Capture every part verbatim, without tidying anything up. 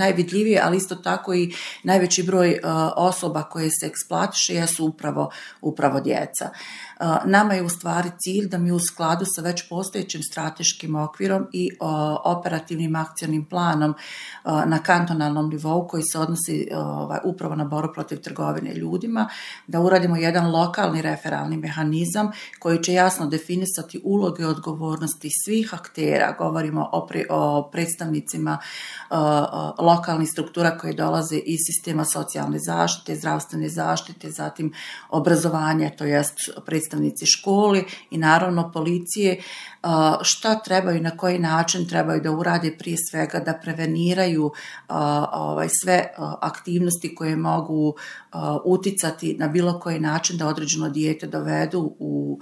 najvidljivije, ali isto tako i najveći broj osoba koje se eksploatiše jesu upravo, upravo djeca. Nama je u stvari cilj da mi u skladu sa već postojećim strateškim okvirom i operativnim akcionim planom na kantonalnom nivou koji se odnosi upravo na borbu protiv trgovine ljudima, da uradimo jedan lokalni referalni mehanizam koji će jasno definisati uloge i odgovornosti svih aktera. Govorimo o, pre, o predstavnicima lokalnih struktura koje dolaze iz sistema socijalne zaštite, zdravstvene zaštite, zatim obrazovanja, to jest predstavnici školi i naravno policije, šta trebaju i na koji način trebaju da urade, prije svega da preveniraju ovaj, sve aktivnosti koje mogu uticati na bilo koji način da određeno dijete dovedu u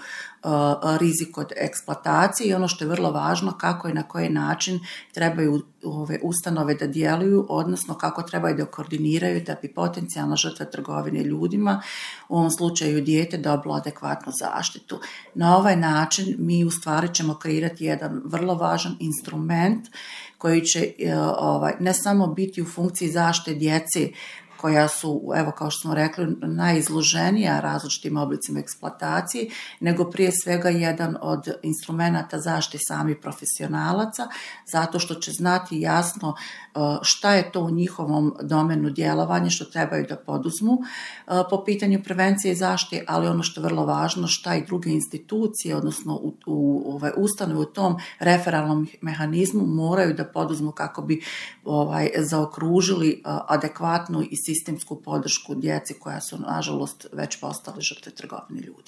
rizik od eksploatacije i ono što je vrlo važno, kako i na koji način trebaju ove ustanove da djeluju, odnosno kako trebaju da koordiniraju da bi potencijalna žrtva trgovine ljudima, u ovom slučaju dijete, dobilo adekvatnu zaštitu. Na ovaj način mi u stvari ćemo kreirati jedan vrlo važan instrument koji će ovaj, ne samo biti u funkciji zaštite djece koja su, evo kao što smo rekli, najizloženija različitim oblicima eksploatacije, nego prije svega jedan od instrumenata zaštite samih profesionalaca, zato što će znati jasno šta je to u njihovom domenu djelovanja, što trebaju da poduzmu po pitanju prevencije i zaštite, ali ono što je vrlo važno, šta i druge institucije, odnosno u, u, ovaj, ustanove u tom referalnom mehanizmu moraju da poduzmu kako bi ovaj, zaokružili adekvatnu i sistemsku podršku djeci koja su, nažalost, već postale žrtve trgovine ljudi.